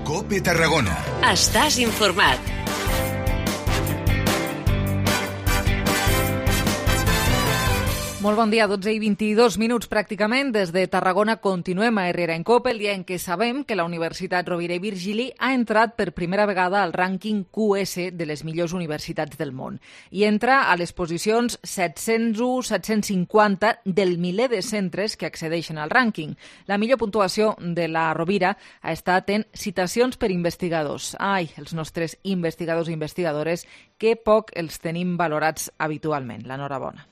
COPE Tarragona. Estàs informat. Molt bon dia, 12 i 22 minuts pràcticament. Des de Tarragona continuem a Herrera en COPE, el dia en què sabem que la Universitat Rovira i Virgili ha entrat per primera vegada al rànquing QS de les millors universitats del món. I entra a les posicions 701-750 del miler de centres que accedeixen al rànquing. La millor puntuació de la Rovira ha estat en citacions per investigadors. Ai, els nostres investigadors i investigadores, que poc els tenim valorats habitualment. L'enhorabona.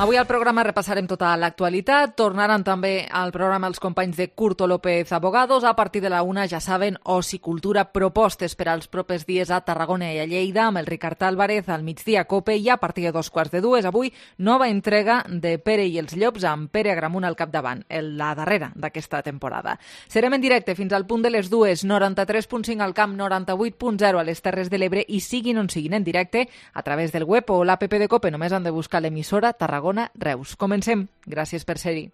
Avui al programa repassarem tota l'actualitat. Tornaran també al programa els companys de Curto López Abogados. A partir de la 1, ja saben, oci, cultura, propostes per als propers dies a Tarragona i a Lleida amb el Ricard Álvarez al migdia COPE, i a partir de 2:15, avui nova entrega de Pere i els Llops amb Pere Agramunt al capdavant, la darrera d'aquesta temporada. Serem en directe fins al punt de les 2, 93.5 al camp, 98.0 a les Terres de l'Ebre, i siguin on siguin en directe a través del web o l'app de COPE. Només han de buscar l'emissora Tarragona Reus. Comencem. Gràcies per ser-hi.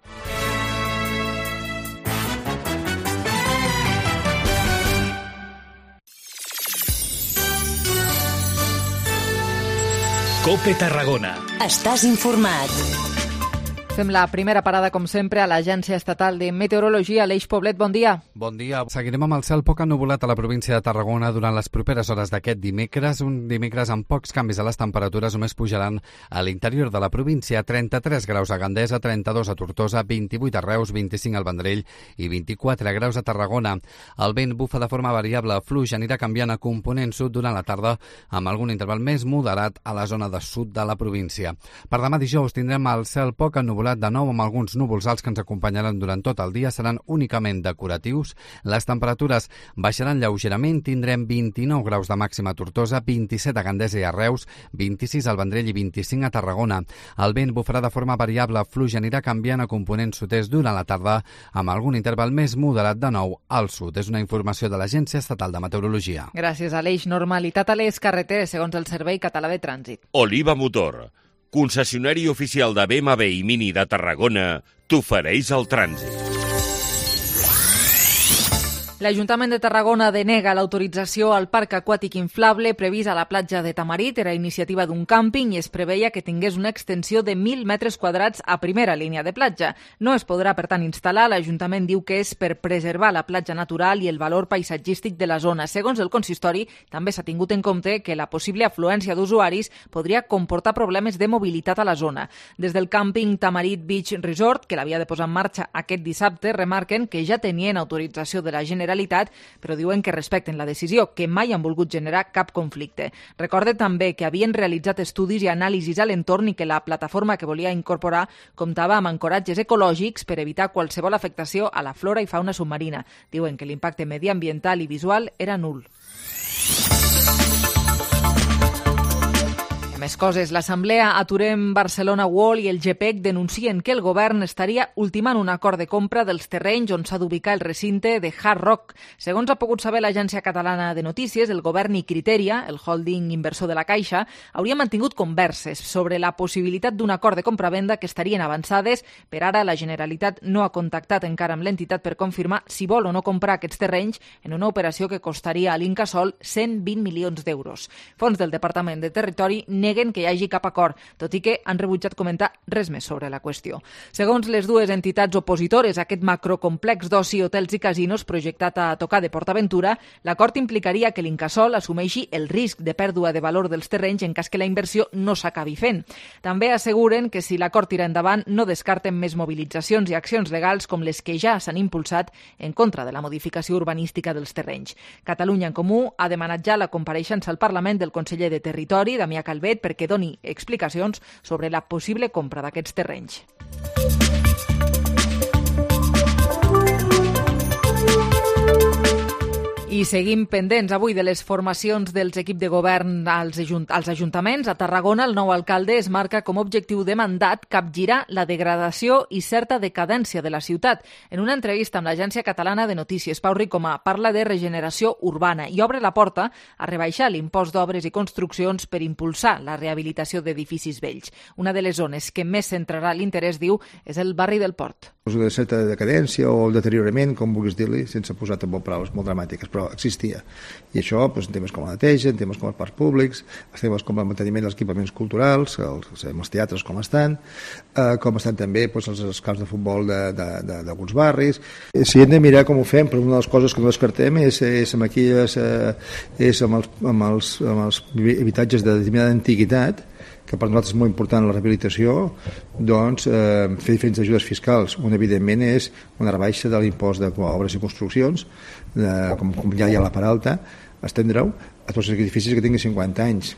COPE Tarragona. Estàs informat. Fem la primera parada, com sempre, a l'Agència Estatal de Meteorologia. Aleix Poblet, bon dia. Bon dia. Seguirem amb el cel poc ennuvolat a la província de Tarragona durant les properes hores d'aquest dimecres. Un dimecres amb pocs canvis a les temperatures, només pujaran a l'interior de la província. 33 graus a Gandesa, 32 a Tortosa, 28 a Reus, 25 al Vendrell i 24 graus a Tarragona. El vent bufa de forma variable, fluix, anirà canviant a component sud durant la tarda, amb algun interval més moderat a la zona de sud de la província. Per demà dijous tindrem el cel poc ennuvolat de nou amb alguns núvols alts que ens acompanyaran durant tot el dia. Seran únicament decoratius. Les temperatures baixaran lleugerament. Tindrem 29 graus de màxima a Tortosa, 27 a Gandesa i a Reus, 26 al Vendrell i 25 a Tarragona. El vent bufarà de forma variable, fluix, anirà canviant a component sud-est durant la tarda amb algun interval més moderat de nou al sud. És una informació de l'Agència Estatal de Meteorologia. Gràcies, Aleix. Normalitat a les carreteres, segons el Servei Català de Trànsit. Oliva Motor, concessionari oficial de BMW i Mini de Tarragona, t'ofereix el trànsit. L'Ajuntament de Tarragona denega l'autorització al parc aquàtic inflable previst a la platja de Tamarit. Era iniciativa d'un càmping i es preveia que tingués una extensió de 1.000 metres quadrats a primera línia de platja. No es podrà, per tant, instal·lar. L'Ajuntament diu que és per preservar la platja natural i el valor paisatgístic de la zona. Segons el consistori, també s'ha tingut en compte que la possible afluència d'usuaris podria comportar problemes de mobilitat a la zona. Des del càmping Tamarit Beach Resort, que l'havia de posar en marxa aquest dissabte, remarquen que ja tenien autorització de la Generalitat, però diuen que respecten la decisió, que mai han volgut generar cap conflicte. Recorde també que havien realitzat estudis i anàlisis a l'entorn i que la plataforma que volia incorporar comptava amb ancoratges ecològics per evitar qualsevol afectació a la flora i fauna submarina. Diuen que l'impacte mediambiental i visual era nul. Més coses. L'Assemblea Aturem Barcelona World i el GPEC denuncien que el govern estaria ultimant un acord de compra dels terrenys on s'ha d'ubicar el recinte de Hard Rock. Segons ha pogut saber l'Agència Catalana de Notícies, el govern i Criteria, el holding inversor de la Caixa, hauria mantingut converses sobre la possibilitat d'un acord de compra-venda que estarien avançades. Per ara, la Generalitat no ha contactat encara amb l'entitat per confirmar si vol o no comprar aquests terrenys en una operació que costaria a l'Incasòl 120 milions d'euros. Fons del Departament de Territori neguen que hi hagi cap acord, tot i que han rebutjat comentar res més sobre la qüestió. Segons les dues entitats opositores a aquest macrocomplex d'oci, hotels i casinos projectat a tocar de PortAventura, l'acord implicaria que l'Incasòl assumeixi el risc de pèrdua de valor dels terrenys en cas que la inversió no s'acabi fent. També asseguren que si l'acord tira endavant no descarten més mobilitzacions i accions legals com les que ja s'han impulsat en contra de la modificació urbanística dels terrenys. Catalunya en Comú ha demanat ja la compareixença al Parlament del conseller de Territori, Damià Calvet, perquè doni explicacions sobre la possible compra d'aquests terrenys. I seguim pendents avui de les formacions dels equips de govern als ajuntaments. A Tarragona, el nou alcalde es marca com a objectiu de mandat capgirar la degradació i certa decadència de la ciutat. En una entrevista amb l'Agència Catalana de Notícies, Pau Ricomà parla de regeneració urbana i obre la porta a rebaixar l'impost d'obres i construccions per impulsar la rehabilitació d'edificis vells. Una de les zones que més centrarà l'interès, diu, és el barri del Port. De certa decadència o deteriorament, com vulguis dir-li, sense posar tampoc paraules molt dramàtiques, però existia. I això en temes com la neteja, en temes com els parcs públics, en temes com el manteniment dels equipaments culturals, els teatres com estan també els camps de futbol d'alguns barris. Si hem de mirar com ho fem, però una de les coses que no descartem és amb els habitatges de determinada antiguitat, que per nosaltres és molt important la rehabilitació, doncs fer diferents ajudes fiscals. Una, evidentment, és una rebaixa de l'impost d'obres i construccions, com ja hi ha la part alta, estendre-ho a tots els edificis que tinguin 50 anys.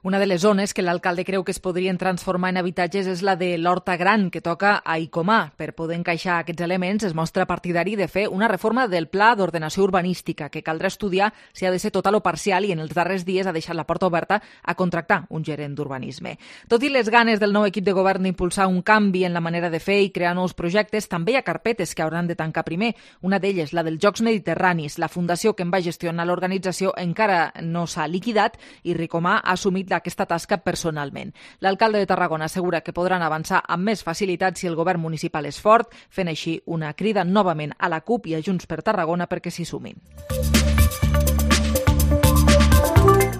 Una de les zones que l'alcalde creu que es podrien transformar en habitatges és la de l'Horta Gran, que toca a Icomà. Per poder encaixar aquests elements, es mostra partidari de fer una reforma del pla d'ordenació urbanística, que caldrà estudiar si ha de ser total o parcial, i en els darrers dies ha deixat la porta oberta a contractar un gerent d'urbanisme. Tot i les ganes del nou equip de govern d'impulsar un canvi en la manera de fer i crear nous projectes, també hi ha carpetes que hauran de tancar primer. Una d'elles, la dels Jocs Mediterranis. La fundació que en va gestionar l'organització encara no s'ha liquidat i Ricomà ha assumit aquesta tasca personalment. L'alcalde de Tarragona assegura que podran avançar amb més facilitat si el govern municipal és fort, fent així una crida novament a la CUP i a Junts per Tarragona perquè s'hi sumin.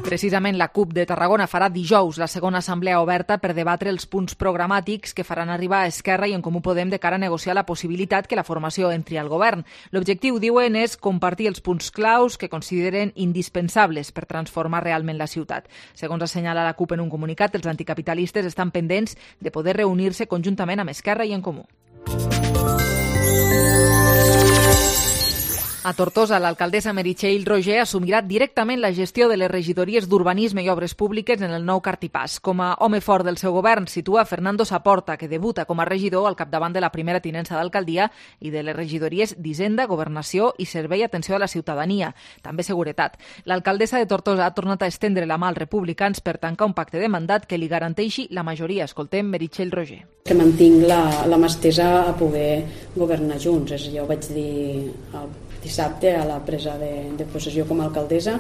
Precisament la CUP de Tarragona farà dijous la segona assemblea oberta per debatre els punts programàtics que faran arribar a Esquerra i en Comú Podem de cara a negociar la possibilitat que la formació entri al govern. L'objectiu, diuen, és compartir els punts claus que consideren indispensables per transformar realment la ciutat. Segons assenyala la CUP en un comunicat, els anticapitalistes estan pendents de poder reunir-se conjuntament amb Esquerra i en Comú. A Tortosa, l'alcaldessa Meritxell Roger assumirà directament la gestió de les regidories d'Urbanisme i Obres Públiques en el nou Cartipàs. Com a home fort del seu govern, situa Fernando Saporta, que debuta com a regidor al capdavant de la primera tinença d'alcaldia i de les regidories d'Hisenda, Governació i Servei i Atenció a la Ciutadania, també Seguretat. L'alcaldessa de Tortosa ha tornat a estendre la mà als republicans per tancar un pacte de mandat que li garanteixi la majoria. Escoltem Meritxell Roger. Que mantinc la mà estesa a poder governar junts. Jo vaig dir dissabte a la presa de possessió com a alcaldessa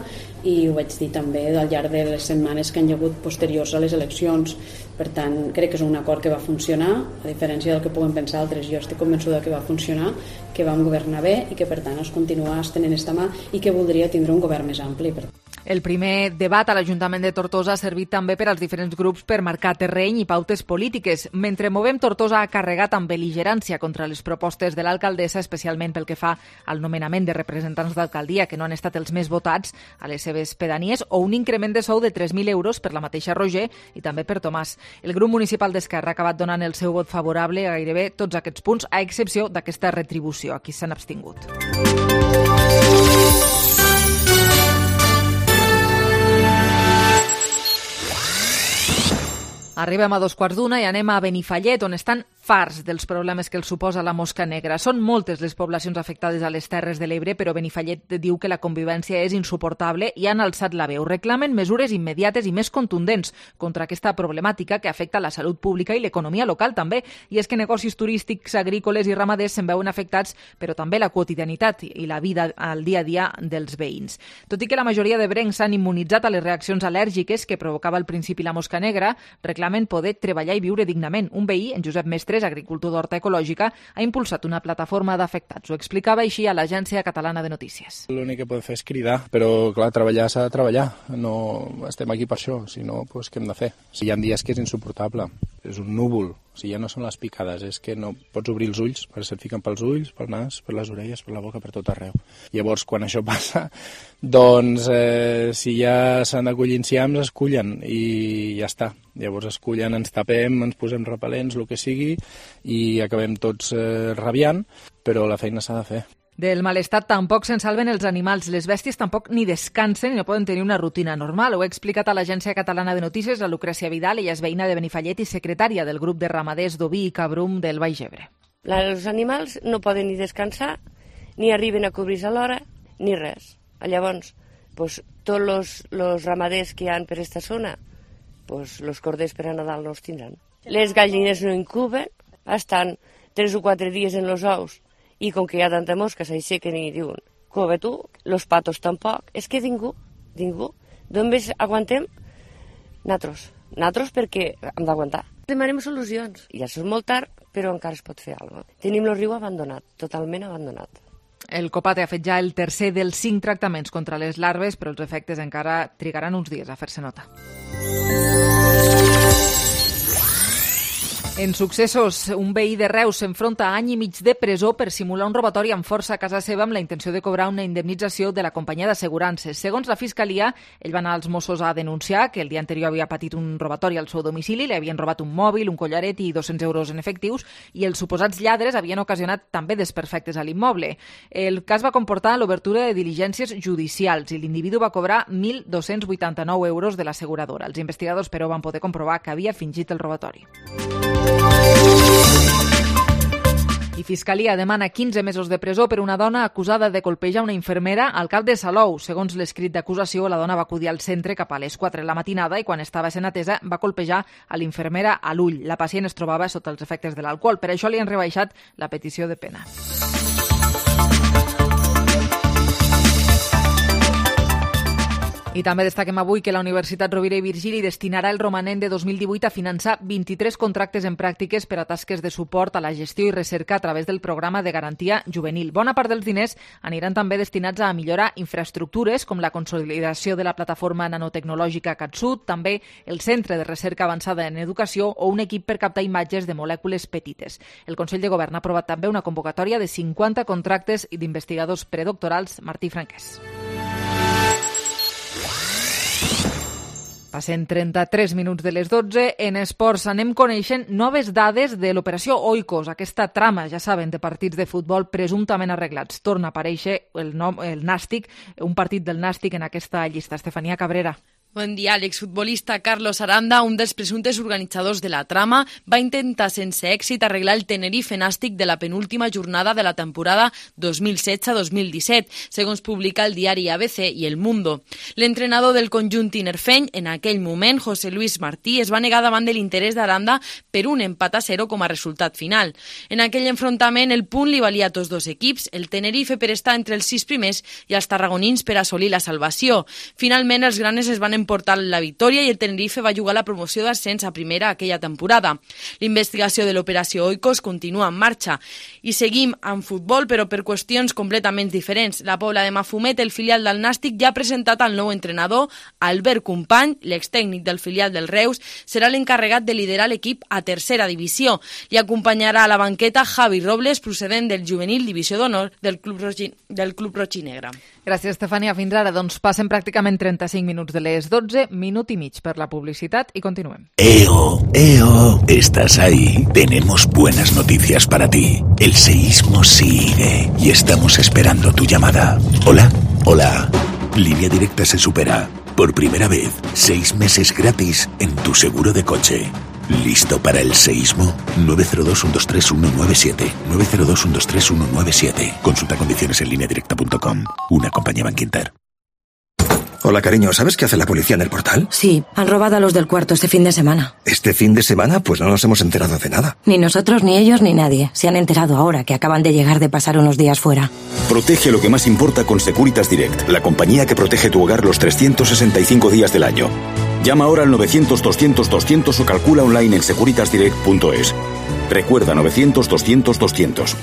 i ho vaig dir també al llarg de les setmanes que han hagut posteriors a les eleccions. Per tant, crec que és un acord que va funcionar, a diferència del que puguen pensar altres. Jo estic convençuda que va funcionar, que vam governar bé i que per tant es continua estenent esta mà i que voldria tindre un govern més ampli. El primer debat a l'Ajuntament de Tortosa ha servit també per als diferents grups per marcar terreny i pautes polítiques. Mentre Movem Tortosa ha carregat amb bel·ligerància contra les propostes de l'alcaldessa, especialment pel que fa al nomenament de representants d'alcaldia que no han estat els més votats a les seves pedanies, o un increment de sou de 3.000 euros per la mateixa Roger i també per Tomàs. El grup municipal d'Esquerra ha acabat donant el seu vot favorable a gairebé tots aquests punts, a excepció d'aquesta retribució. Aquí s'han abstingut. Arribem a 2:15 i anem a Benifallet, on estan farts dels problemes que els suposa la mosca negra. Són moltes les poblacions afectades a les Terres de l'Ebre, però Benifallet diu que la convivència és insuportable i han alçat la veu. Reclamen mesures immediates i més contundents contra aquesta problemàtica que afecta la salut pública i l'economia local també. I és que negocis turístics, agrícoles i ramaders se'n veuen afectats, però també la quotidianitat i la vida al dia a dia dels veïns. Tot i que la majoria de brencs s'han immunitzat a les reaccions al·lèrgiques que provocava al principi la mosca negra, reclamen poder treballar i viure dignament. Un veí, en Josep Mestres, agricultor d'horta ecològica, ha impulsat una plataforma d'afectats. Ho explicava així a l'Agència Catalana de Notícies. L'únic que podem fer és cridar, però clar, treballar s'ha de treballar. No estem aquí per això, si no, doncs què hem de fer? Hi ha dies que és insuportable, és un núvol. O sigui, ja no són les picades, és que no pots obrir els ulls, perquè se't fiquen pels ulls, pel nas, per les orelles, per la boca, per tot arreu. Llavors, quan això passa, doncs, si ja s'han d'acollir enciams, es cullen i ja està. Llavors es cullen, ens tapem, ens posem repel·lents, el que sigui, i acabem tots rabiant, però la feina s'ha de fer. Del malestar tampoc se'n salven els animals. Les bèsties tampoc ni descansen i no poden tenir una rutina normal. Ho ha explicat a l'Agència Catalana de Notícies la Lucrècia Vidal. Ella és veïna de Benifallet i secretària del grup de ramaders d'oví i cabrum del Baix Ebre. Els animals no poden ni descansar, ni arriben a cobrir-se a l'hora, ni res. Llavors, pues, tots els ramaders que hi ha per aquesta zona, pues, els corders per a Nadal no els tindran. Les gallines no incuben, estan 3 o 4 dies en els ous i com que hi ha tanta mosca s'aixequen i diuen cove tu, los patos tampoc. És que ningú. D'on més aguantem? Nosaltres perquè hem d'aguantar. Demanem solucions. Ja és molt tard, però encara es pot fer alguna cosa. Tenim el riu abandonat, totalment abandonat. El COPAT ha fet ja el tercer dels 5 tractaments contra les larves, però els efectes encara trigaran uns dies a fer-se nota. En successos, un veí de Reus s'enfronta a any i mig de presó per simular un robatori amb força a casa seva amb la intenció de cobrar una indemnització de la companyia d'assegurances. Segons la Fiscalia, ell va anar als Mossos a denunciar que el dia anterior havia patit un robatori al seu domicili, li havien robat un mòbil, un collaret i 200 euros en efectius i els suposats lladres havien ocasionat també desperfectes a l'immoble. El cas va comportar l'obertura de diligències judicials i l'individu va cobrar 1.289 euros de l'asseguradora. Els investigadors, però, van poder comprovar que havia fingit el robatori. I Fiscalia demana 15 mesos de presó per una dona acusada de colpejar una infermera al cap de Salou. Segons l'escrit d'acusació, la dona va acudir al centre cap a les 4 de la matinada i quan estava sent atesa va colpejar a l'infermera a l'ull. La pacient es trobava sota els efectes de l'alcohol. Per això li han rebaixat la petició de pena. I també destaquem avui que la Universitat Rovira i Virgili destinarà el romanent de 2018 a finançar 23 contractes en pràctiques per a tasques de suport a la gestió i recerca a través del programa de garantia juvenil. Bona part dels diners aniran també destinats a millorar infraestructures com la consolidació de la plataforma nanotecnològica CatSud, també el Centre de Recerca Avançada en Educació o un equip per captar imatges de molècules petites. El Consell de Govern ha aprovat també una convocatòria de 50 contractes d'investigadors predoctorals. Martí Franquès. Passen 33 minuts de les 12. En esports anem coneixent noves dades de l'operació Oikos, aquesta trama, ja saben, de partits de futbol presumptament arreglats. Torna a aparèixer el Nàstic, un partit del Nàstic en aquesta llista. Estefania Cabrera. Bon dia. L'exfutbolista Carlos Aranda, un dels presumptes organitzadors de la trama, va intentar sense èxit arreglar el Tenerife Nàstic de la penúltima jornada de la temporada 2016-2017, segons publica el diari ABC i El Mundo. L'entrenador del conjunt tinerfeny, en aquell moment, José Luis Martí, es va negar davant de l'interès d'Aranda per un empat a 0 com a resultat final. En aquell enfrontament, el punt li valia a tots dos equips, el Tenerife per estar entre els 6 primers i els tarragonins per assolir la salvació. Finalment, els granes es van emportar la victòria i el Tenerife va jugar la promoció d'ascens a primera aquella temporada. L'investigació de l'operació Oikos continua en marxa. I seguim amb futbol, però per qüestions completament diferents. La Pobla de Mafumet, el filial del Nàstic, ja ha presentat el nou entrenador, Albert Company, l'extècnic del filial del Reus, serà l'encarregat de liderar l'equip a tercera divisió. Li acompanyarà a la banqueta Javi Robles, procedent del juvenil divisió d'honor del Club Roig i Negre. Gràcies, Estefania. Fins ara, doncs passen pràcticament 35 minuts de les 12, minut y mig per la publicidad y continuem. ¡Eo! ¿Estás ahí? Tenemos buenas noticias para ti. El seísmo sigue y estamos esperando tu llamada. ¿Hola? Hola. Línea Directa se supera. Por primera vez, 6 meses gratis en tu seguro de coche. ¿Listo para el seísmo? 902-123-197. 902-123-197. Consulta condiciones en lineadirecta.com. Una compañía Bankinter. Hola, cariño, ¿sabes qué hace la policía en el Portal? Sí, han robado a los del cuarto este fin de semana. ¿Este fin de semana? Pues no nos hemos enterado de nada. Ni nosotros, ni ellos, ni nadie. Se han enterado ahora que acaban de llegar de pasar unos días fuera. Protege lo que más importa con Securitas Direct, la compañía que protege tu hogar los 365 días del año. Llama ahora al 900-200-200 o calcula online en securitasdirect.es. Recuerda, 900-200-200.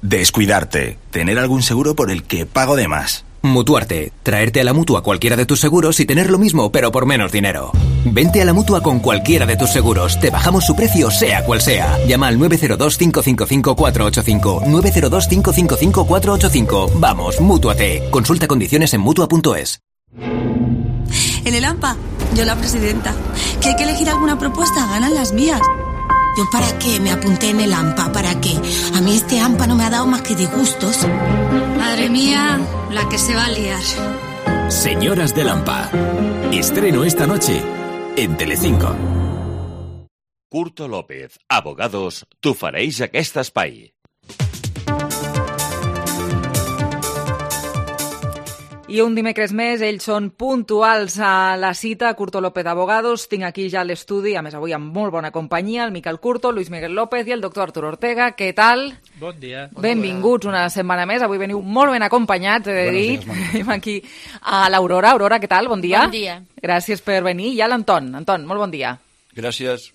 Descuidarte. Tener algún seguro por el que pago de más. Mutuarte. Traerte a la Mutua cualquiera de tus seguros y tener lo mismo, pero por menos dinero. Vente a la Mutua con cualquiera de tus seguros. Te bajamos su precio, sea cual sea. Llama al 902-555-485. 902-555-485. Vamos, mútuate. Consulta condiciones en Mutua.es. En el AMPA, yo la presidenta. ¿Que hay que elegir alguna propuesta? Ganan las mías. ¿Yo para qué me apunté en el AMPA? ¿Para qué? A mí este AMPA no me ha dado más que disgustos. Madre mía, la que se va a liar. Señoras del AMPA. Estreno esta noche en Telecinco. Curto López, Abogados, t'ofereix aquest espai. I un dimecres més, ells són puntuals a la cita. Curto López Abogados, tinc aquí ja a l'estudi, a més avui amb molt bona companyia, el Miquel Curto, Luis Miguel López i el doctor Arturo Ortega. Què tal? Bon dia. Benvinguts una setmana més. Avui veniu molt ben acompanyats, he de dir. Tenim aquí a l'Aurora. Aurora, què tal? Bon dia. Bon dia. Gràcies per venir. I a l'Anton. Anton, molt bon dia. Gràcies.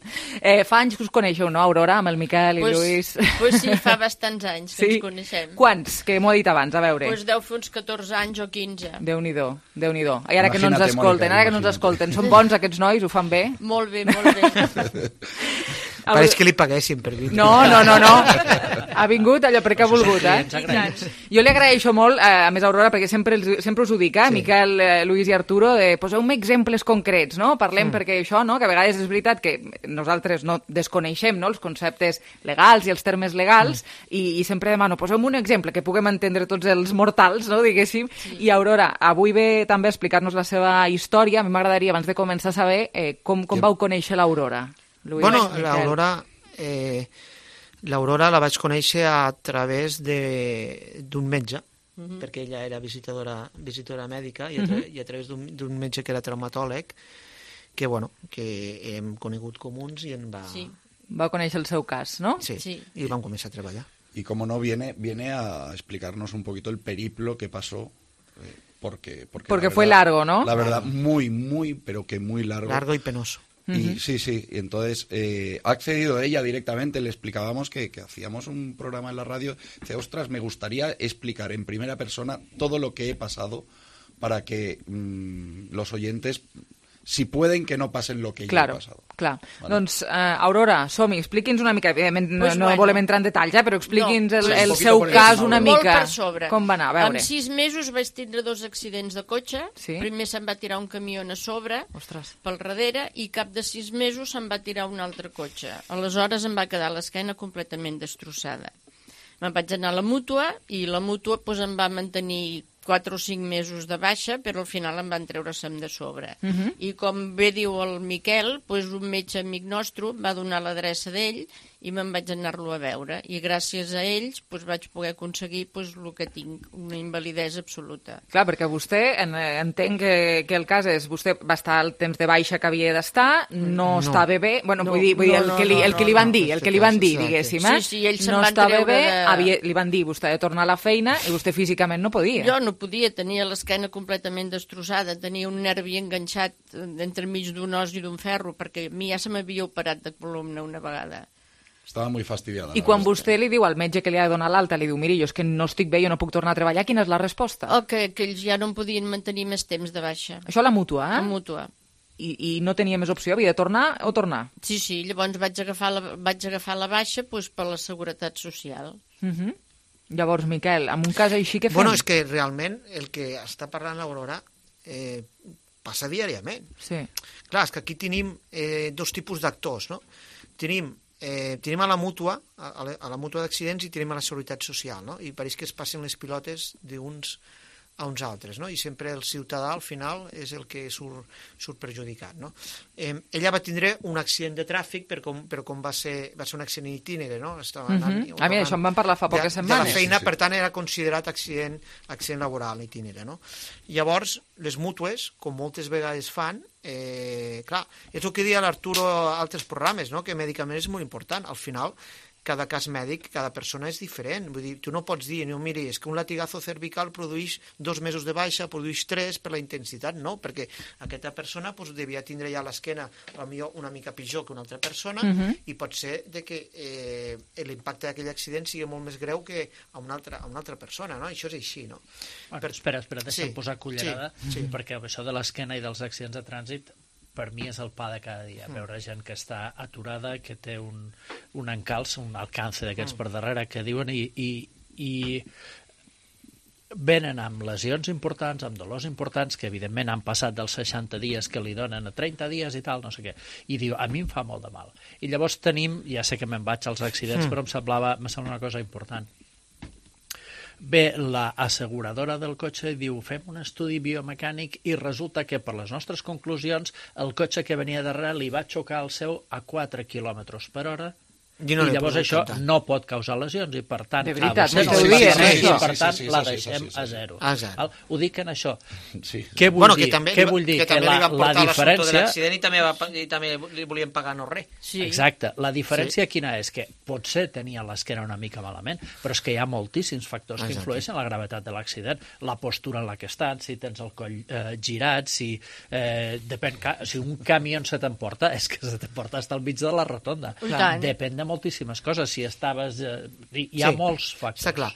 Fa anys que us coneixeu, no, Aurora, amb el Miquel i Lluís? Pues sí, fa bastants anys que ens coneixem. Quants? Que m'ho he dit abans, a veure. Pues deu fer uns 14 anys o 15. Déu-n'hi-do, Déu-n'hi-do. I ara que no ens escolten, són bons aquests nois, ho fan bé? Molt bé, molt bé. Pareix que li paguessin per vir. No. Ha vingut allò perquè ha volgut, Jo li agraeixo molt, a més, Aurora, perquè sempre us ho dic, Miquel, Lluís i Arturo, poseu-me exemples concrets, no? Parlem perquè això, no? Que a vegades és veritat que nosaltres no desconeixem, no? Els conceptes legals i els termes legals i sempre demano, poseu-me un exemple que puguem entendre tots els mortals, no? Diguéssim. I Aurora, avui ve també a explicar-nos la seva història. A mi m'agradaria, abans de començar, saber com vau conèixer l'Aurora. Bueno, l'Aurora la vaig conèixer a través d'un metge, perquè ella era visitadora mèdica, i a través d'un metge que era traumatòleg, que hem conegut comuns i va conèixer el seu cas, ¿no? Sí, y vam començar a treballar. Y como no, viene a explicarnos un poquito el periplo que pasó, porque fue largo, ¿no? La verdad, muy, pero que muy largo. Largo y penoso. Y sí, y entonces ha accedido ella directamente, le explicábamos que hacíamos un programa en la radio, dice, ostras, me gustaría explicar en primera persona todo lo que he pasado para que los oyentes, si pueden, que no pasen lo que yo he pasado. Clar. Vale. Doncs, Aurora, som-hi, expliqui'ns una mica, evidentment no volem entrar en detalls, però expliqui'ns el seu cas una mica. Molt per sobre. Com va anar, a veure. En 6 mesos vaig tindre 2 accidents de cotxe. Primer se'm va tirar un camió a sobre, pel darrere, i cap de 6 mesos se'm va tirar un altre cotxe. Aleshores em va quedar l'esquena completament destrossada. Me'n vaig anar a la mútua, i la mútua em va mantenir 4 o 5 mesos de baixa, però al final em van treure-se'm de sobre. I com bé diu el Miquel, un metge amic nostre va donar l'adreça d'ell i me'n vaig anar-lo a veure. I gràcies a ells vaig poder aconseguir el que tinc, una invalidesa absoluta. Clar, perquè vostè, entenc que el cas és, vostè va estar el temps de baixa que havia d'estar, no estava bé, vull dir, el que li van dir, diguéssim, Sí, ells se'n van treure de... Li van dir, vostè ha de tornar a la feina, i vostè físicament no podia. Jo no podia, tenia l'esquena completament destrossada, tenia un nervi enganxat entremig d'un os i d'un ferro, perquè a mi ja se m'havia operat de columna una vegada. Estava molt fastidiada. I quan vostè li diu al metge que li ha de donar l'alta, li diu, miri, jo és que no estic bé, jo no puc tornar a treballar, quina és la resposta? Que ells ja no em podien mantenir més temps de baixa. Això a la mútua, A mútua. I no tenia més opció, havia de tornar o tornar? Sí, llavors vaig agafar la baixa per la Seguretat Social. Llavors, Miquel, en un cas així què fem? Bueno, és que realment el que està parlant l'Aurora passa diàriament. Sí. Clar, és que aquí tenim 2 tipus d'actors, no? Tenim a la mútua, a la mútua d'accidents, i tenim a la Seguretat Social, no? I pareix que es passen les pilotes d'uns a uns altres, no? I sempre el ciutadà al final és el que surt perjudicat, no? Ella va tindre un accident de tràfic, però com va ser un accident itinere, no? Estava anant, a mi això em van parlar fa poques setmanes. De la feina, per tant, era considerat accident laboral itinere, no? Llavors, les mútues, com moltes vegades fan, clar, és el que deia l'Arturo a altres programes, no? Que mèdicament és molt important. Al final, cada cas mèdic, cada persona és diferent. Vull dir, tu no pots dir, no, miri, és que un latigazo cervical produeix 2 mesos de baixa, produeix 3 per la intensitat, no, perquè aquesta persona devia tindre ja l'esquena potser una mica pitjor que una altra persona, i pot ser que l'impacte d'aquell accident sigui molt més greu que a una altra persona, no? Això és així, no? Espera, deixa'm posar cullerada, perquè això de l'esquena i dels accidents de trànsit per mi és el pa de cada dia, veure gent que està aturada, que té un encalç, un alcance d'aquests per darrere, que diuen, i venen amb lesions importants, amb dolors importants, que evidentment han passat dels 60 dies que li donen a 30 dies i tal, no sé què, i diu, a mi em fa molt de mal. I llavors tenim, ja sé que me'n vaig als accidents, però em sembla una cosa important. Ve l'asseguradora del cotxe i diu, fem un estudi biomecànic, i resulta que per les nostres conclusions el cotxe que venia darrere li va xocar el seu a 4 km/h I llavors això no pot causar lesions i per tant de veritat, la deixem a zero. Ho dic en això. Què vull dir? Que també li van portar l'assumpte de l'accident i també li volien pagar no res. Exacte. La diferència quina és? Que potser tenia l'esquena una mica malament, però és que hi ha moltíssims factors que influeixen en la gravetat de l'accident. La postura en la que estan, si tens el coll girat, si un camió se t'emporta, és que se t'emporta fins al mig de la rotonda. Depèn de moltíssimes coses. Si estaves... Hi ha molts factors. Està clar.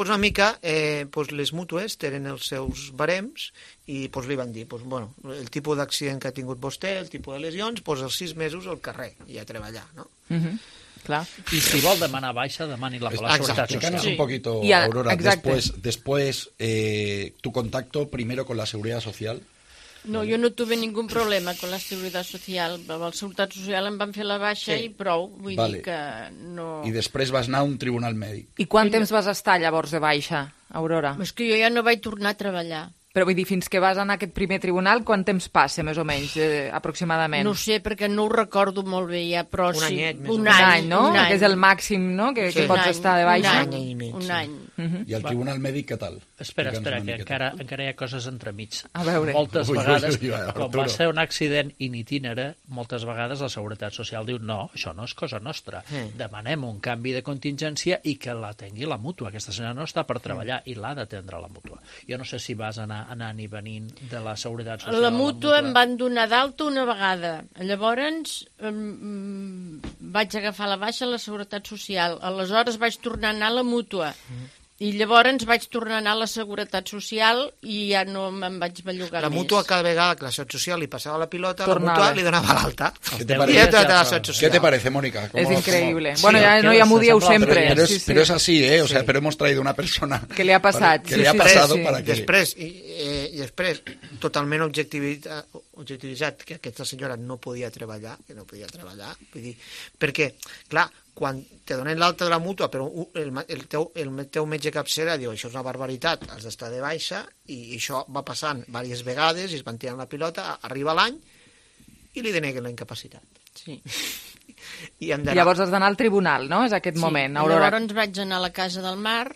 Una mica les mútues tenen els seus barems i li van dir el tipus d'accident que ha tingut vostè, el tipus de lesions, els 6 mesos al carrer i a treballar, no? Clar. Y si vol demanar baixa, demani-la per la Seguretat Social. Explícanos un poquito, Aurora, después tu contacto primero con la Seguridad Social. No, jo no tuve ningún problema con la Seguridad Social. Amb la Seguretat Social em van fer la baixa i prou. Vull dir que no... I després vas anar a un tribunal mèdic. I quant temps vas estar llavors de baixa, Aurora? És que jo ja no vaig tornar a treballar. Però vull dir, fins que vas anar a aquest primer tribunal, quant temps passa, més o menys, aproximadament? No sé, perquè no ho recordo molt bé ja, però un anyet, un any, no? Que és el màxim, no?, que pots estar de baixa. Un any. I el tribunal mèdic, què tal? Espera, que encara hi ha coses entremig. A veure. Moltes vegades, quan va ser un accident in itinere, moltes vegades la Seguretat Social diu no, això no és cosa nostra. Demanem un canvi de contingència i que l'atengui la mútua. Aquesta senyora no està per treballar i l'ha d'atendre la mútua. Jo no sé si vas anar anant i venint de la Seguretat Social. La mútua em van donar d'alta una vegada. Llavors vaig agafar la baixa a la Seguretat Social. Aleshores vaig tornar a anar a la mútua. I llavors vaig tornar a anar a la Seguretat Social i ja no me'n vaig bellugar més. La mútua cada vegada que la Seguretat Social li passava la pilota, la mútua li donava l'alta. ¿Qué te parece, Mónica? Es increíble. Bueno, ya m'ho dieu sempre. Pero es así, ¿eh? O sea, pero hemos traído una persona... Que le ha pasado. Que le ha pasado para que... Després, totalment objectivitzat, que aquesta senyora no podia treballar, vull dir, perquè, clar, quan te donen l'alta de la mútua, però el teu metge capçera diu això és una barbaritat, has d'estar de baixa, i això va passant diverses vegades, i es van tirant la pilota, arriba l'any, i li deneguen la incapacitat. Sí. Llavors has d'anar al tribunal, no? És aquest moment, Aurora. Llavors vaig anar a la Casa del Mar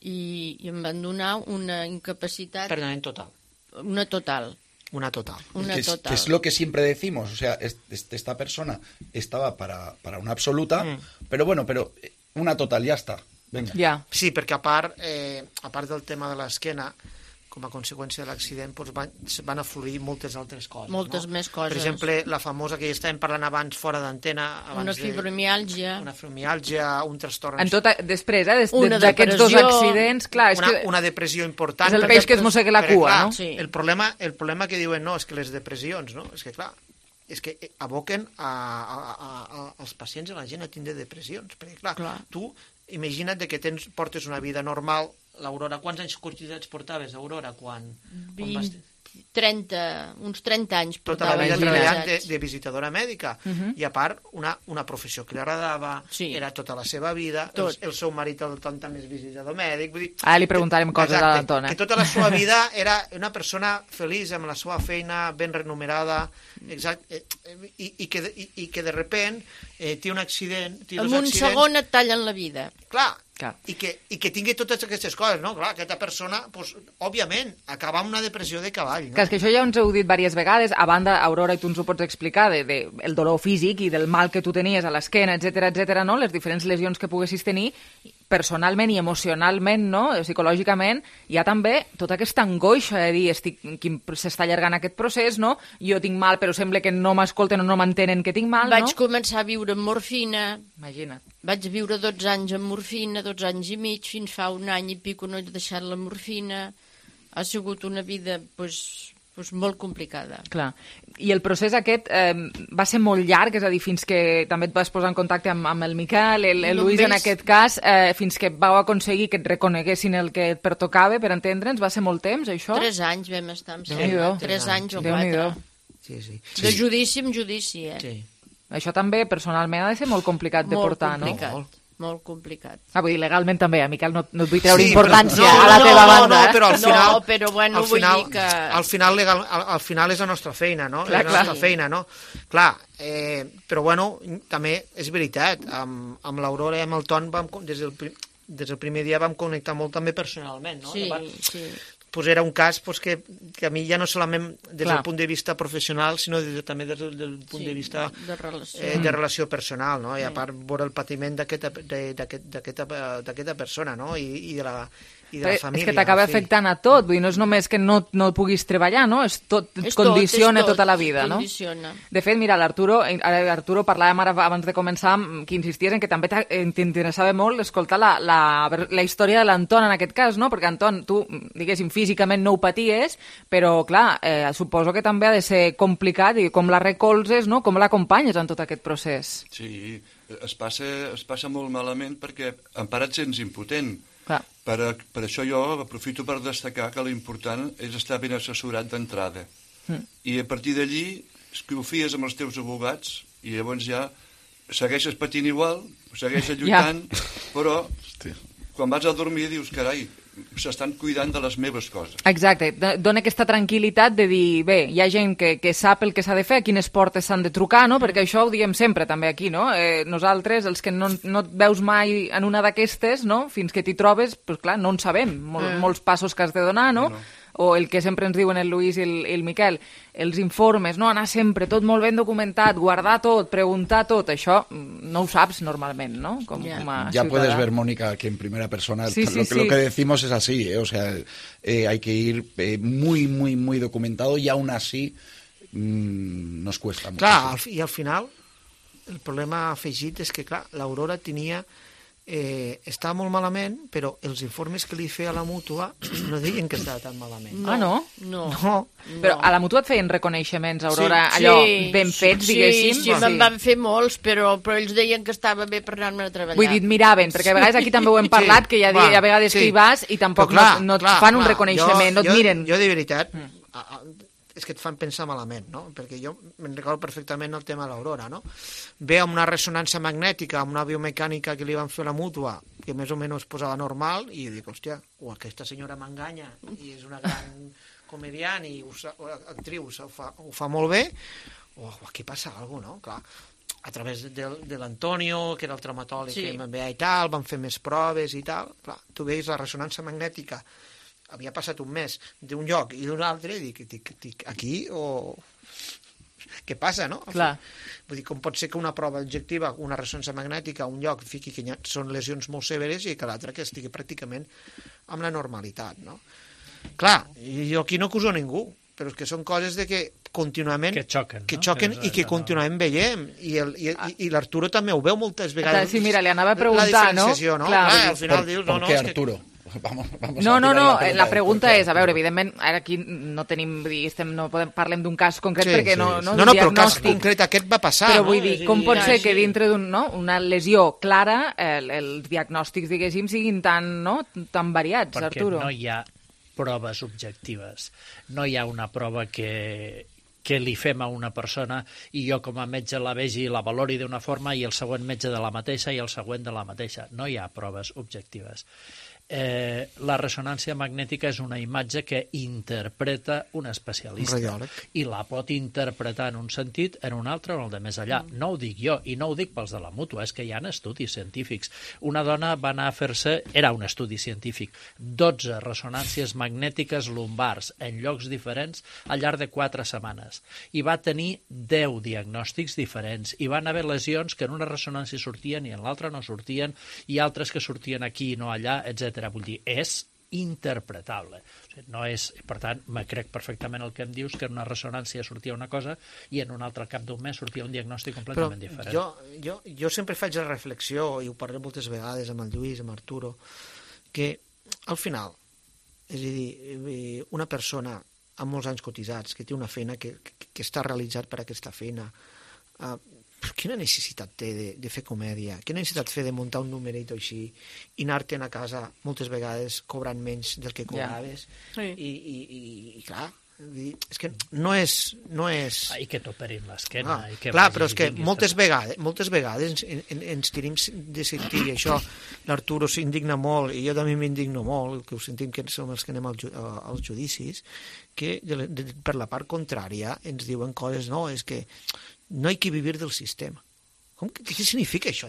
i em van donar una incapacitat... Permanent total. Una total. Que es lo que siempre decimos, o sea, esta persona estaba para una absoluta, pero una total, ya está. Venga. Yeah. Sí, perquè a part del tema de l'esquena, com a conseqüència de l'accident, van afluir moltes altres coses. Moltes més coses. Per exemple, la famosa que ja estàvem parlant abans fora d'antena. Una fibromiàlgia. Un trastorn... Després, d'aquests dos accidents, clar... Una depressió important. És el peix que es mossega la cua, no? El problema que diuen, no, és que les depressions, no? És que, clar, és que aboquen als pacients, a la gent a tindre depressions. Perquè, clar, tu imagina't que portes una vida normal. L'Aurora, quants anys cotitzats portaves, Aurora, quan vas... 30, uns 30 anys tota la vida treballant de visitadora mèdica, i a part una professió que li agradava, era tota la seva vida, el seu marit el Ton també és visitador mèdic, vull dir... Ara li preguntarem coses a l'Antona. Que tota la seva vida era una persona feliç amb la seva feina, ben remunerada, i que de repent té un accident... En un segon et tallen la vida. Clar, i que tingui totes aquestes coses, no? Clar, aquesta persona, òbviament, acaba amb una depressió de cavall. Que és que això ja ens heu dit diverses vegades, a banda, Aurora, i tu ens ho pots explicar, del dolor físic i del mal que tu tenies a l'esquena, etcètera, no? Les diferents lesions que poguessis tenir, personalment i emocionalment, no? Psicològicament, hi ha també tota aquesta angoixa de dir, s'està allargant aquest procés, no? Jo tinc mal, però sembla que no m'escolten o no m'entenen que tinc mal, no? Vaig començar a viure amb morfina. Imagina't. Vaig viure 12 anys amb morfina, 12 anys i mig, fins fa un any i pico no he deixat la morfina. Ha sigut una vida, molt complicada. Clar. I el procés aquest va ser molt llarg, és a dir, fins que també et vas posar en contacte amb el Miquel, el Lluís en aquest cas, fins que vau aconseguir que et reconeguessin el que et pertocava, per entendre'ns, va ser molt temps, això? 3 anys vam estar amb 3 anys o 4. Sí. De judici en judici, Sí. Això també, personalment, ha de ser molt complicat de portar, no? molt complicat. Vull dir, legalment també, Miquel, no et vull treure importància a la teva banda. No, però al final... No, però bueno, vull dir que... Al final és la nostra feina, no? Clar, és la nostra feina, no? Clar, però bueno, també és veritat, amb l'Aurora i amb el Ton des del primer dia vam connectar molt també personalment, no? Sí. Pues era un cas que a mi ja no solament des del punt de vista professional, sinó també des del punt de vista de relació personal, no? I a part veure el patiment d'aquesta persona, no? I de la família. És que t'acaba afectant a tot, vull dir, no és només que no puguis treballar, no? Condiciona tota la vida, no? De fet, mira, l'Arturo parlàvem ara abans de començar, que insisties en que també t'interessava molt escoltar la història de l'Anton en aquest cas, no? Perquè Anton, tu, diguéssim, físicament no ho paties, però, clar, suposo que també ha de ser complicat, i com la recolzes, no? Com l'acompanyes en tot aquest procés? Sí, es passa molt malament perquè en part et sents impotent. Per això jo aprofito per destacar que l'important és estar ben assessorat d'entrada. I a partir d'allí confies amb els teus advocats i llavors ja segueixes patint igual, segueixes lluitant, però quan vas a dormir dius, carai, s'estan cuidant de les meves coses. Exacte, dona aquesta tranquil·litat de dir, bé, hi ha gent que sap el que s'ha de fer, a quines portes s'han de trucar, no? Perquè això ho diem sempre també aquí, no? Nosaltres, els que no et veus mai en una d'aquestes, no? Fins que t'hi trobes, doncs clar, no en sabem molts passos que has de donar, no? O el que sempre ens diuen el Lluís i el Miquel, els informes, no? Anar sempre tot molt ben documentat, guardar tot, preguntar tot, això no ho saps normalment, ¿no? Ya puedes ver, Mónica, que en primera persona lo que decimos es así, o sea, hay que ir muy, muy, muy documentado y aún así nos cuesta mucho. Clar, i al final el problema afegit és que, clar, l'Aurora tenia... estava molt malament, però els informes que li feia a la mútua no deien que estava tan malament. No? No. Però a la mútua et feien reconeixements, Aurora, allò ben fets, diguéssim? Sí, me'n van fer molts, però ells deien que estava bé per anar-me a treballar. Vull dir, et miraven, perquè a vegades aquí també ho hem parlat, que hi ha vegades que hi vas i tampoc no et fan un reconeixement, no et miren. Jo, de veritat, és que et fan pensar malament, no? Perquè jo me'n recordo perfectament el tema de l'Aurora, no? Ve amb una ressonància magnètica, amb una biomecànica que li van fer a la mútua, que més o menys es posava normal, i jo dic, hòstia, aquesta senyora m'enganya, i és una gran comediant i actriu, ho fa molt bé, o aquí passa alguna cosa, no? Clar, a través de l'Antonio, que era el traumatòleg que me'n veia i tal, van fer més proves i tal, clar, tu veus la ressonància magnètica, havia passat un mes d'un lloc i d'un altre, i dic, aquí o... Què passa, no? Clar. Vull dir, com pot ser que una prova objectiva, una ressonància magnètica a un lloc fiqui que són lesions molt severes i que l'altra que estigui pràcticament amb la normalitat, no? Clar, jo aquí no acuso ningú, però és que són coses de que contínuament... Que xoquen, no? Que xoquen i que contínuament veiem. I l'Arturo també ho veu moltes vegades. Sí, mira, li anava a preguntar, la diferenciació, no? Clar, al final dius... ¿Por qué Arturo? No, la pregunta és, a veure, evidentment, ara aquí no tenim, no parlem d'un cas concret perquè no... No, però el cas concret aquest va passar, però no? vull dir, com pot ser que dintre d'una lesió clara els diagnòstics, diguéssim, siguin tan variats, Arturo? Perquè no hi ha proves objectives, no hi ha una prova que li fem a una persona i jo com a metge la vegi i la valori d'una forma i el següent metge de la mateixa i el següent de la mateixa. No hi ha proves objectives. La ressonància magnètica és una imatge que interpreta un especialista i la pot interpretar en un sentit, en un altre o en el de més allà. No ho dic jo i no ho dic pels de la mútua, és que hi ha estudis científics. Una dona va anar a fer-se, era un estudi científic, 12 ressonàncies magnètiques lumbars en llocs diferents al llarg de 4 setmanes i va tenir 10 diagnòstics diferents i van haver lesions que en una ressonància sortien i en l'altra no sortien i altres que sortien aquí i no allà, etc. Vull dir, és interpretable. O sigui, no és, per tant, me crec perfectament el que em dius, que en una ressonància sortia una cosa i en un altre al cap d'un mes sortia un diagnòstic completament diferent. Jo sempre faig la reflexió, i ho parlem moltes vegades amb el Lluís, amb Arturo, que al final, és a dir, una persona amb molts anys cotitzats, que té una feina que està realitzat per aquesta feina, quina necessitat té de fer comèdia? Quina necessitat té de muntar un numerito així i anar-te'n a casa moltes vegades cobrant menys del que cobraves? I clar, És que no és... I que t'operin l'esquena. Clar, però és que moltes vegades ens tenim de sentir, i això l'Arturo s'indigna molt, i jo també m'indigno molt, que ho sentim que som els que anem als judicis, que per la part contrària ens diuen coses, no, és que no hi ha que vivir del sistema. Què significa això?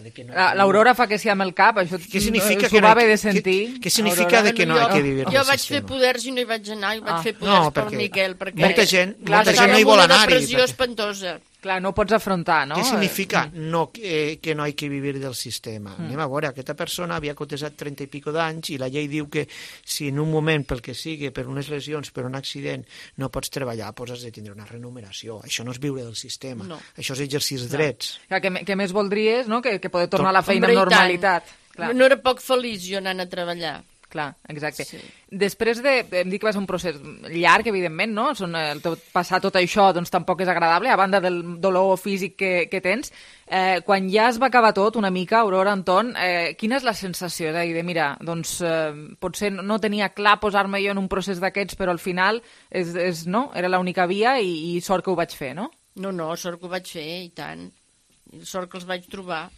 L'Aurora fa que sí amb el cap, això s'ho va haver de sentir. Què significa que no hi ha que vivir del sistema? Jo vaig fer poders i no hi vaig anar, i vaig fer poders per Miquel, perquè molta gent no hi vol anar-hi. Una depressió espantosa. Clar, no ho pots afrontar, no? Què significa que no hi ha que vivir del sistema? Anem a veure, aquesta persona havia cotitzat 30 i pico d'anys i la llei diu que si en un moment, pel que sigui, per unes lesions, per un accident, no pots treballar, doncs has de tindre una remuneració. Això no és viure del sistema. Això és exercir els drets. Què més voldries, no? Que poder tornar a la feina amb normalitat. No era poc feliç jo anant a treballar. Clar, exacte. Sí. Després em dic que va ser un procés llarg, evidentment, no? Passar tot això doncs, tampoc és agradable, a banda del dolor físic que tens. Quan ja es va acabar tot, una mica, Aurora, Anton, quina és la sensació? És a dir, mira, doncs potser no tenia clar posar-me jo en un procés d'aquests, però al final no? Era l'única via i sort que ho vaig fer, no? No, sort que ho vaig fer, i tant. Sort que els vaig trobar.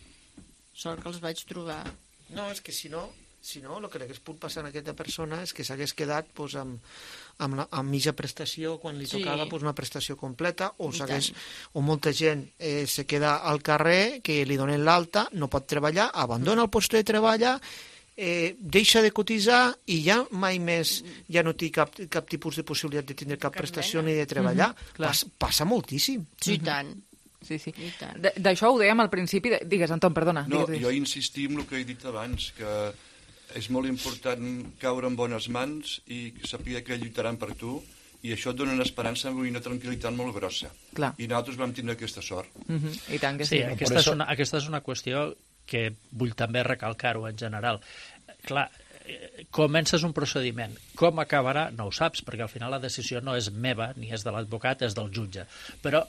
No, és que si no, el que hagués pogut passar a aquesta persona és que s'hagués quedat amb mitja prestació quan li tocava una prestació completa, o molta gent se queda al carrer, que li donen l'alta, no pot treballar, abandona el lloc de treball, deixa de cotitzar i ja mai més ja no té cap tipus de possibilitat de tindre cap prestació ni de treballar. Passa moltíssim. Sí, tant. Sí. D'això ho dèiem al principi. Digues, Anton, perdona. No, jo insistim en el que he dit abans, que és molt important caure en bones mans i saber que lluitaran per tu, i això et dona una esperança i una tranquil·litat molt grossa. Clar. I nosaltres vam tindre aquesta sort. I tant que sí. Aquesta és una qüestió que vull també recalcar-ho en general. Clar, comences un procediment. Com acabarà no ho saps, perquè al final la decisió no és meva ni és de l'advocat, és del jutge. Però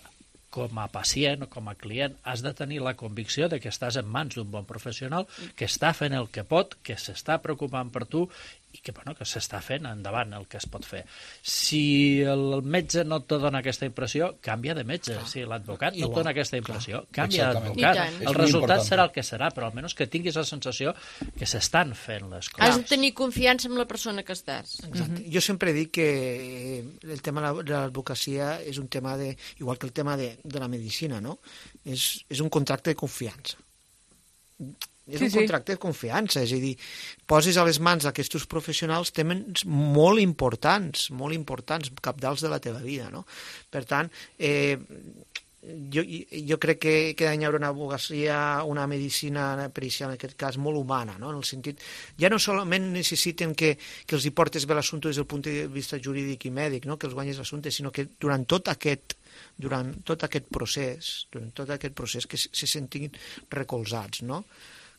com a pacient o com a client has de tenir la convicció de que estàs en mans d'un bon professional que està fent el que pot, que s'està preocupant per tu i que s'està fent endavant el que es pot fer. Si el metge no te dona aquesta impressió, canvia de metge. Si l'advocat no et dona aquesta impressió, canvia d'advocat. El resultat serà el que serà, però almenys que tinguis la sensació que s'estan fent les coses. Has de tenir confiança en la persona que estàs. Exacte. Jo sempre dic que el tema de l'advocacia és un tema igual que el tema de la medicina, no? És un contracte de confiança. És un contracte de confiança, és a dir, poses a les mans d'aquests professionals temes molt importants, cabdals de la teva vida, no? Per tant, jo crec que ha d'haver una advocacia, una medicina pericial, en aquest cas, molt humana, no? En el sentit, ja no solament necessiten que els hi portes bé l'assumpte des del punt de vista jurídic i mèdic, no? Que els guanyis l'assumpte, sinó que durant tot aquest procés que se sentin recolzats, no?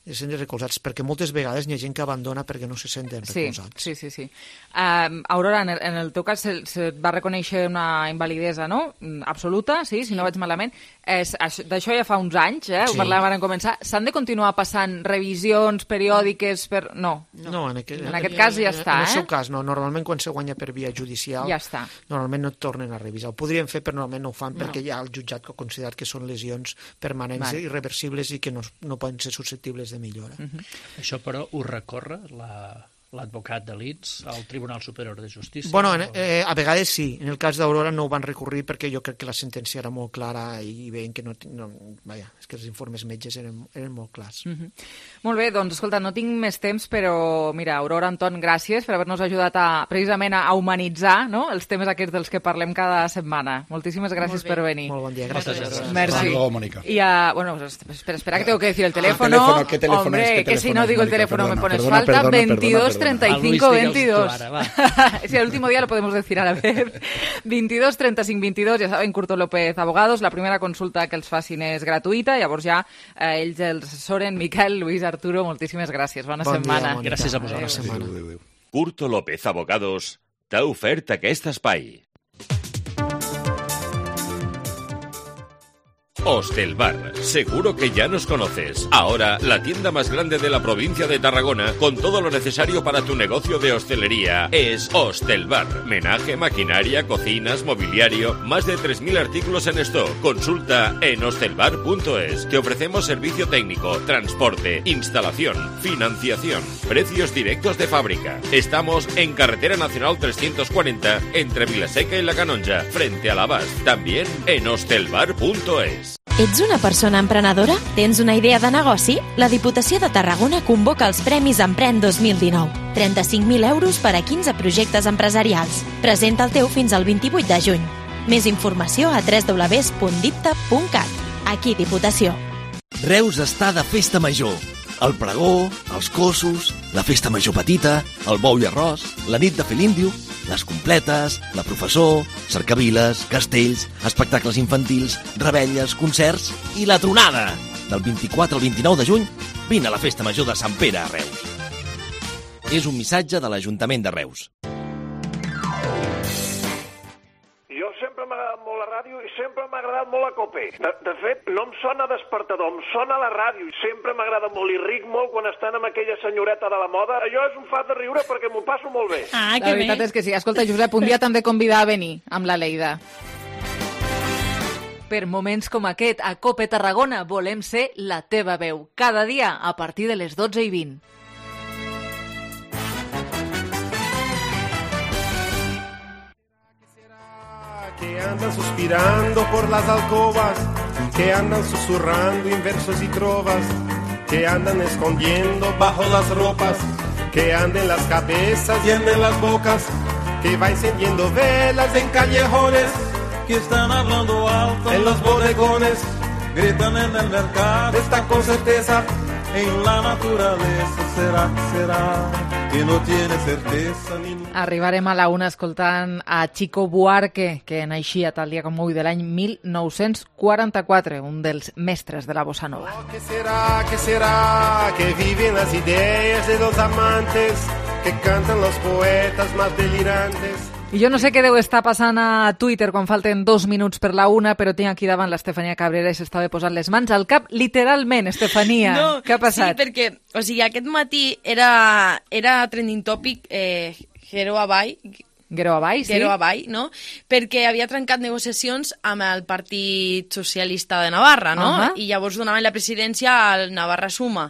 Perquè moltes vegades hi ha gent que abandona perquè no se senten recolzats. Sí. Aurora, en el teu cas se va reconèixer una invalidesa, no? Absoluta, sí, si no vaig malament. D'això ja fa uns anys, ho parlàvem ara en començar. S'han de continuar passant revisions periòdiques per... No, en aquest cas ja està, En el seu cas, no. Normalment quan se guanya per via judicial, ja està. Normalment no et tornen a revisar. Ho podrien fer, però normalment no ho fan perquè hi ha el jutjat que ha considerat que són lesions permanents, irreversibles i que no poden ser susceptibles de millora. Això, però, ho recorre l'advocat de l'INS al Tribunal Superior de Justícia? Bueno, a vegades sí. En el cas d'Aurora no ho van recurrir perquè jo crec que la sentència era molt clara i veien que és que els informes metges eren molt clars. Molt bé, doncs, escolta, no tinc més temps, però, mira, Aurora, Anton, gràcies per haver-nos ajudat precisament a humanitzar, no?, els temes aquests dels que parlem cada setmana. Moltíssimes gràcies per venir. Molt bon dia, gràcies. Merci. Mónica. Y bueno, espera que tengo que decir el teléfono. ¿Qué teléfono Hombre, es? que si no digo el teléfono me pones perdona, falta. perdona, 22 35 22. Si el último día lo podemos decir a la vez. 22 35 22, ja saben, Curto López Abogados. La primera consulta que els facin és gratuïta, llavors ja ells els assessoren. Miquel, Luis, Arturo, moltíssimes gràcies. Bona setmana. Gràcies a vosaltres. Curto López Abogados t'ha ofert aquest espai. Hostelbar. Seguro que ya nos conoces. Ahora, la tienda más grande de la provincia de Tarragona, con todo lo necesario para tu negocio de hostelería, es Hostelbar. Menaje, maquinaria, cocinas, mobiliario, más de 3.000 artículos en stock. Consulta en hostelbar.es. Te ofrecemos servicio técnico, transporte, instalación, financiación, precios directos de fábrica. Estamos en Carretera Nacional 340, entre Vilaseca y La Canonja, frente a l'Abast. También en hostelbar.es. Ets una persona emprenedora? Tens una idea de negoci? La Diputació de Tarragona convoca els Premis Emprèn 2019. 35.000 euros per a 15 projectes empresarials. Presenta el teu fins al 28 de juny. Més informació a www.dipta.cat. Aquí Diputació. Reus està de festa major. El pregó, els cossos, la festa major petita, el bou i arròs, la nit de fer l'índio, les completes, la professor, cercaviles, castells, espectacles infantils, rebelles, concerts i la tronada. Del 24 al 29 de juny, vine a la festa major de Sant Pere a Reus. És un missatge de l'Ajuntament de Reus. Jo sempre m'ha agradat molt la ràdio i sempre m'ha agradat molt la COPE. De fet, no em sona despertador, em sona la ràdio i sempre m'agrada molt i ric molt quan estan amb aquella senyoreta de la moda. Allò és un fat de riure perquè m'ho passo molt bé. La veritat és que sí. Escolta, Josep, un dia t'hem de convidar a venir amb la Leida. Per moments com aquest, a COPE Tarragona volem ser la teva veu. Cada dia a partir de les 12:20. Que andan suspirando por las alcobas, que andan susurrando en versos y trovas, que andan escondiendo bajo las ropas, que anden las cabezas y anden las bocas, que va encendiendo velas en callejones, que están hablando alto en los bodegones, gritan en el mercado, están con certeza en la naturaleza. Será que no tiene certeza ni... Arribarem a la una escoltant a Chico Buarque, que naixia tal dia com avui de l'any 1944, un dels mestres de la bossa nova. ¿Qué será que viven las ideas de los amantes, que cantan los poetas más delirantes? I jo no sé què deu estar passant a Twitter quan falten 2 minuts per la una, però tinc aquí davant l'Estefania Cabrera i s'estava posant les mans al cap, literalment, Estefania. No, què ha passat? Sí, perquè, o sigui, aquest matí era trending topic Guerau avall, sí. Guerau avall, no? Perquè havia trencat negociacions amb el Partit Socialista de Navarra, no? I llavors donaven la presidència al Navarra Suma.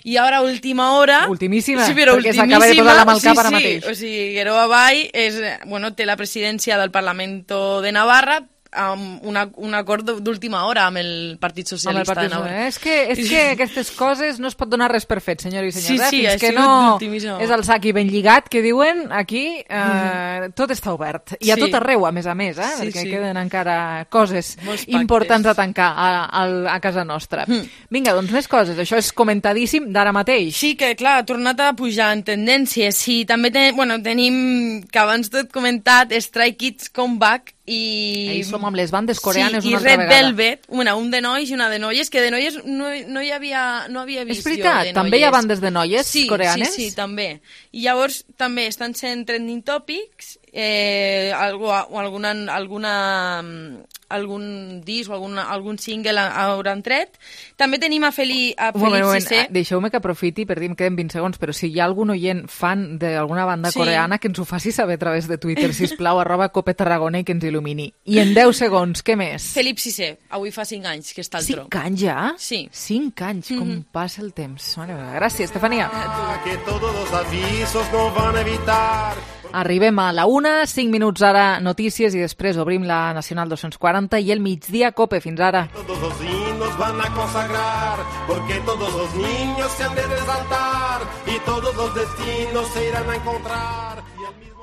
I ara, a última hora... Ultimíssima, sí, però perquè s'acaba de posar la mà al cap ara mateix. O sigui, Guerau avall té la presidència del Parlamento de Navarra, amb un acord d'última hora amb el Partit Socialista de Navarra. És que aquestes coses no es pot donar res per fet, senyors i senyors. Sí, fins que no és el sac i ben lligat, que diuen aquí tot està obert. I a tot arreu, a més, perquè queden encara coses importants a tancar a casa nostra. Vinga, doncs més coses. Això és comentadíssim d'ara mateix. Sí, que clar, ha tornat a pujar en tendències. I també tenim, que abans tot comentat, Stray Kids Comeback, i som amb les bandes coreanes una altra vegada. I Red Velvet, un de nois i una de noies, que de noies no havia vist. És veritat, també hi ha bandes de noies coreanes? Sí, també. I llavors també estan sent trending topics, algun disc o algun single hauran tret. També tenim a Felip Cissé. Deixeu-me que aprofiti per dir, em queden 20 segons, però si hi ha algun oient fan d'alguna banda coreana, que ens ho faci saber a través de Twitter, sisplau, @COPE Tarragona, i que ens il·lumini. I en 10 segons, què més? Felip Cissé, avui fa 5 anys que està al tro. 5 anys ja? Sí. 5 anys, com passa el temps. Gràcies, Estefania. Que todos los avisos no van a evitar. Arribem a la una, 5 minuts ara notícies i després obrim la Nacional 240 i el migdia COPE. Fins ara. Todos los himnos van a consagrar, porque todos los niños se han de resaltar y todos los destinos se irán a encontrar. Y el mismo